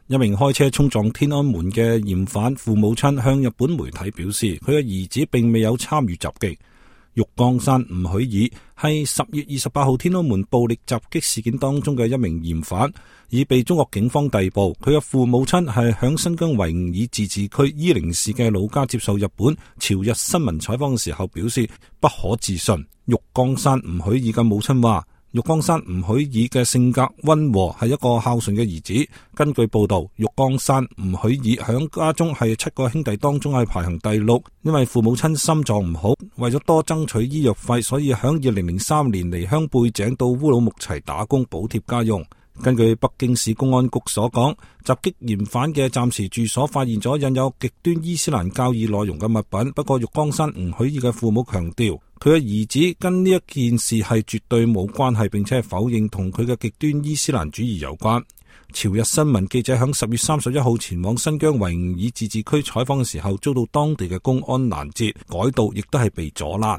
一名開車衝撞天安門嘅嫌犯父母親向日本媒體表示，佢嘅兒子並未有參與襲擊。玉江山吳許爾係10月28號天安門暴力襲擊事件當中嘅一名嫌犯，已被中國警方逮捕。佢嘅父母親係響新疆維吾爾自治區伊寧市嘅老家接受日本朝日新聞採訪嘅時候表示不可置信。玉江山吳許爾嘅母親話，玉江山吳許爾嘅性格溫和，係一個孝順嘅兒子。根據報道，玉江山吳許爾響家中係7個兄弟當中係排行第6，因為父母親心臟唔好，為咗多爭取醫藥費，所以響2003年離鄉背井到烏魯木齊打工補貼家用。根據北京市公安局所講，襲擊嫌犯嘅暫時住所發現咗印有極端伊斯蘭教義內容嘅物品。不過玉江山吳許爾嘅父母強調，佢嘅兒子跟呢一件事係絕對冇關係，並且否認同佢嘅極端伊斯蘭主義有關。朝日新聞記者響10月31號前往新疆維吾爾自治區採訪嘅時候，遭到當地嘅公安攔截，改道亦都係被阻攔。